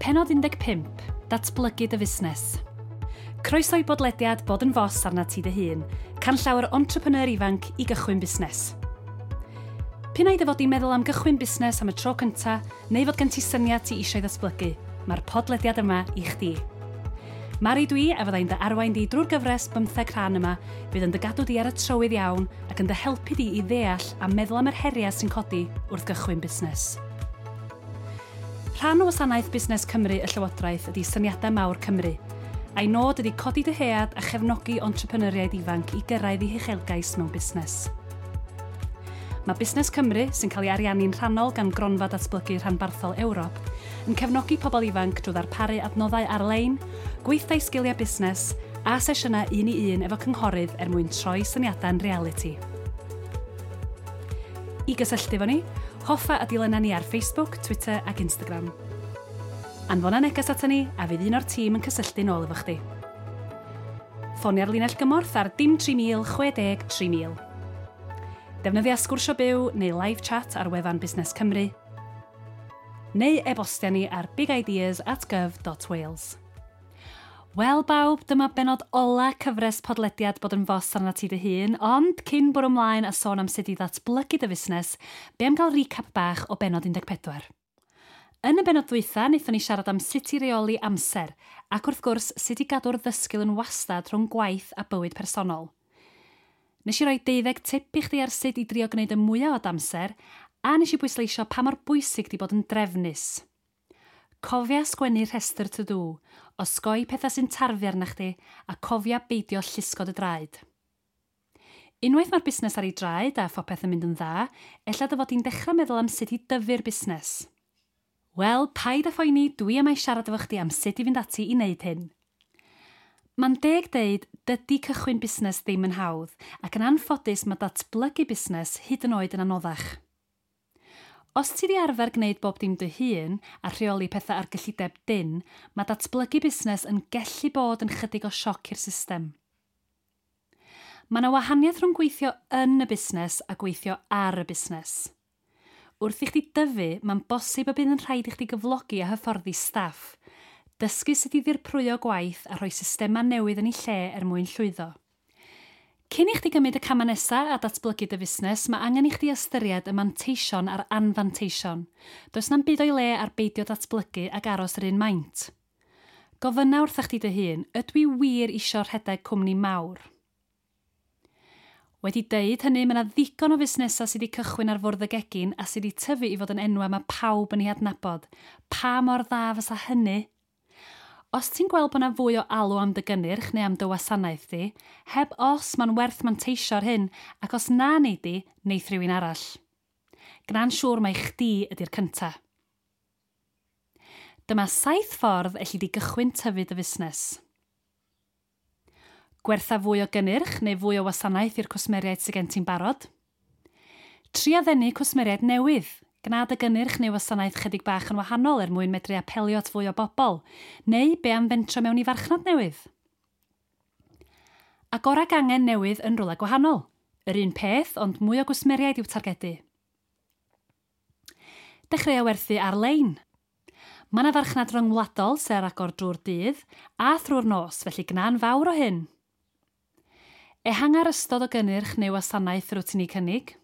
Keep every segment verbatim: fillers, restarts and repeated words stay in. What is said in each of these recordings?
Pennod un deg pump. Datblygu dy fusnes. Croeso i bodlediad Bod yn Fos arnat ti dy hun, canllaw yr entrepreneur ifanc i gychwyn busnes. P'un ai dy fod di'n meddwl am gychwyn busnes am y tro cynta, neu fod gen ti syniad ti eisiau ddatblygu, mae'r podlediad yma i chdi. Mari dwi, a fyddai'n dy arwain di drwy'r gyfres bymtheg rhan yma, fydd yn dy gadw di ar y trywydd iawn ac yn dy helpu di i ddeall a meddwl am yr heriau sy'n codi wrth gychwyn busnes. Rhan o wasanaeth Busnes Cymru y Llywodraeth ydy Syniadau Mawr Cymru, a'i nod ydy codi dyhead a chefnogi entrepreneuriaid ifanc i gyrraedd eu huchelgais mewn busnes. Mae Busnes Cymru, sy'n cael ei ariannu'n rhannol gan Gronfa Datblygu Rhanbarthol Ewrop, yn cefnogi pobl ifanc drwy ddarparu adnoddau ar-lein, gweithdai sgiliau busnes a sesiynau un i un efo cynghorydd er mwyn troi syniadau'n realiti. I gysylltu efo ni, hoffa a dilyna ni ar Facebook, Twitter ac Instagram. Anfona neges ata ni a fydd un o'r tîm yn cysylltu nôl efo chdi. Ffonia'r linell gymorth ar dim tri mil chwe deg tri mil. Defnyddia sgwrsio byw neu live chat ar wefan Busnes Cymru, neu e-bostia ni ar bigideas at gov dot wales. Wel bawb, dyma benod ola cyfres podlediad Bod yn Fos arnat ti dy hun, ond cyn bwrw ymlaen a sôn am sut i ddatblygu dy fusnes, be am gael recap bach o benod un deg pedwar. Yn y benod ddwytha, wnaethon ni siarad am sut i reoli amser, ac wrth gwrs sut i gadw'r ddysgl yn wastad rhwng gwaith a bywyd personol. Nes i roi deuddeg tip i chdi ar sut i drio gwneud y mwyaf o d'amser, a nes i bwysleisio pa mor bwysig di bod yn drefnus. Cofia sgwennu rhestr to-do, osgoi pethau sy'n tarfu arna chdi, a cofia beidio llusgo dy draed. Unwaith mae'r busnes ar ei draed a phopeth yn mynd yn dda, ella dy fod di'n dechrau meddwl am sut i dyfu'r busnes. Wel, paid â phoeni, dwi am ei siarad efo chdi am sut i fynd ati i wneud hyn. Mae'n deg deud, dydy cychwyn busnes ddim yn hawdd, ac yn anffodus mae datblygu busnes hyd yn oed yn anoddach. Os ti di arfer gwneud bob dim dy hun a rheoli pethau ar gyllideb dynn, mae datblygu busnes yn gellu bod yn chydig o sioc i'r system. Mae yna wahaniaeth rhwng gweithio yn y busnes a gweithio ar y busnes. Wrth i chdi dyfu, mae'n bosib y bydd yn rhaid i chdi gyflogi a hyfforddi staff, dysgu sut i ddirprwyo gwaith a rhoi systemau newydd yn ei lle er mwyn llwyddo. Cyn i chdi gymryd y camau nesaf a datblygu dy fusnes, mae angen i chdi ystyried y manteision a'r anfanteision. Does na'm byd o'i le ar beidio datblygu ac aros yr un maint. Gofynna wrtha chdi dy hun, ydw i wir isio rhedeg cwmni mawr? Wedi deud hynny, mae yna ddigon o fusnesau sydd wedi cychwyn ar fwrdd y gegin a sydd wedi tyfu i fod yn enwau mae pawb yn ei adnabod. Pa mor dda fysa hynny? Os ti'n gweld bod yna fwy o alw am dy gynnyrch neu am dy wasanaeth di, heb os mae'n werth manteisio ar hyn, ac os na nei di, neith rhywun arall. Gna'n siŵr mai chdi ydy'r cynta. Dyma saith ffordd elli di gychwyn tyfu dy fusnes. Gwertha fwy o gynnyrch neu fwy o wasanaeth i'r cwsmeriaid sydd gen ti'n barod. Tria ddenu cwsmeriaid newydd. Gna dy gynnyrch neu wasanaeth chydig bach yn wahanol er mwyn medru apelio at fwy o bobl, neu be am fentro mewn i farchnad newydd. Agora gangen newydd yn rhywle gwahanol. Yr un peth, ond mwy o gwsmeriaid i'w targedu. Dechreuo werthu ar-lein. Mae yna farchnad ryngwladol sy'n ar agor drwy'r dydd a thrwy'r nos, felly gna'n fawr o hyn. Ehanga'r ystod o gynnyrch neu wasanaeth rwyt ti'n ei cynnig.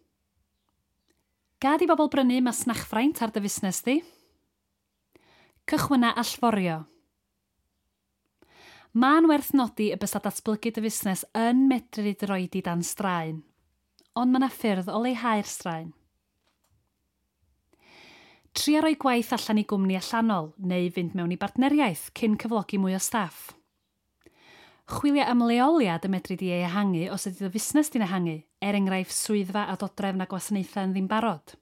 Gad i bobl brynu masnachfraint ar dy fusnes di. Cychwynna allforio. Mae'n werth nodi y bysa datblygu dy fusnes yn medru dy roi di dan straen, ond mae yna ffyrdd o leihau'r straen. Tria roi gwaith allan i gwmni allanol neu fynd mewn i bartneriaeth cyn cyflogi mwy o staff. Chwilio am leoliad y medru di ei ehangu os ydy dy fusnes di'n ehangu, er enghraifft swyddfa a dodrefn a gwasanaethau yn ddim barod.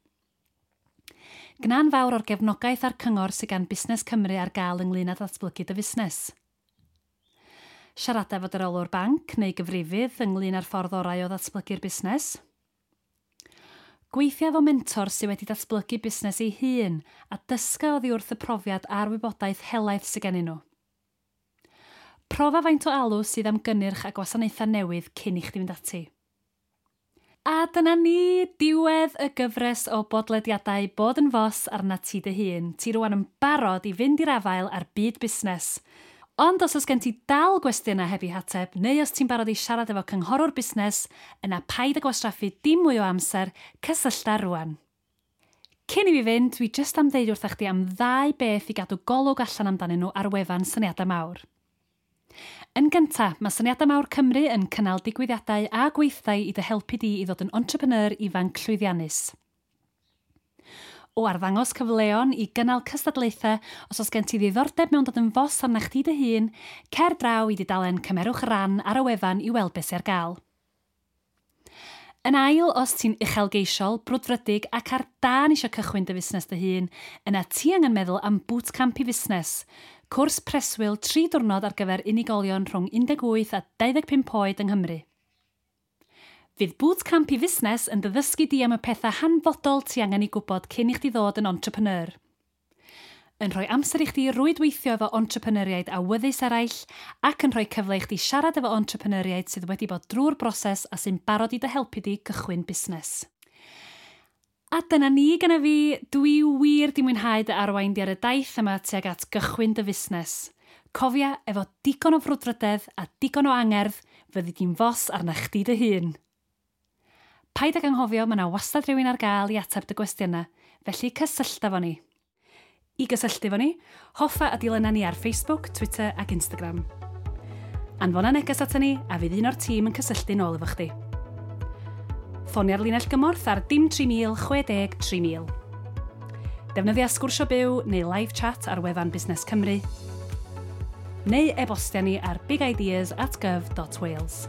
Gna'n fawr o'r gefnogaeth a'r cyngor sydd gan Busnes Cymru ar gael ynglyn â datblygu dy fusnes. Siarada efo dy reolwr banc neu gyfrifydd ynglyn â'r ffordd orau o ddatblygu'r busnes. Gweithia efo mentor sydd wedi datblygu busnes ei hun a dysga oddi wrth y profiad a'r wybodaeth helaeth sydd gennyn nhw. Profa faint o alw sydd am gynnyrch a gwasanaethau newydd cyn i chdi fynd ati. A dyna ni, diwedd y gyfres o bodlediadau Bod yn Fos arna ti dy hun. Ti rwan yn barod i fynd i'r afael ar byd busnes. Ond os oes gen ti dal gwestiynau heb eu hateb, neu os ti'n barod i siarad efo cynghorwr busnes, yna paid â gwastraffu dim mwy o amser, cysyllta rwan. Cyn i fi fynd, dwi jyst am ddeud wrthach chdi am ddau beth i gadw golwg allan amdanyn nhw ar wefan Syniadau Mawr. Yn gyntaf, mae Syniadau Mawr Cymru yn cynnal digwyddiadau a gweithdai i dy helpu di i ddod yn entrepreneur ifanc llwyddiannus. O arddangos cyfleon i gynnal cystadlaethau, os oes gen ti ddiddordeb mewn dod yn fos arna chdi dy hun, cer draw i dudalen Cymerwch Ran ar y wefan i weld beth sy'n ar gael. Yn ail, os ti'n uchelgeisiol, brwdfrydig ac ar dân eisiau cychwyn dy fusnes dy hun, yna ti angen meddwl am bootcamp i fusnes, cwrs preswyl tri diwrnod ar gyfer unigolion rhwng un deg wyth a dau ddeg pump oed yng Nghymru. Fydd bootcamp i fusnes yn dy ddysgu di am y pethau hanfodol ti angen i gwybod cyn i chdi ddod yn entrepreneur. Yn rhoi amser i chdi rwydweithio efo entrepreneuriaid awyddus eraill ac yn rhoi cyfle i chdi siarad efo entrepreneuriaid sydd wedi bod drwy'r broses a sy'n barod i dy helpu di gychwyn busnes. A dyna ni gyda fi, dwi wir di mwynhau dy arwain di ar y daith yma tuag at gychwyn dy fusnes. Cofia, efo digon o frwdfrydedd a digon o angerdd, fyddi di'n fos arna chdi dy hun. Paid ag anghofio, mae yna wastad rhywun ar gael i ateb dy gwestiynau, felly cysyllta fo ni. I gysylltu fo ni, hoffa a dilyna ni ar Facebook, Twitter ac Instagram. Anfona neges ata ni a fydd un o'r tîm yn cysylltu nôl efo chdi. Ffonia'r linell gymorth ar dim tri mil chwe deg tri mil. Defnyddia sgwrsio byw neu live chat ar wefan Busnes Cymru. Neu e-bostia ni ar bigideas at gov dot wales.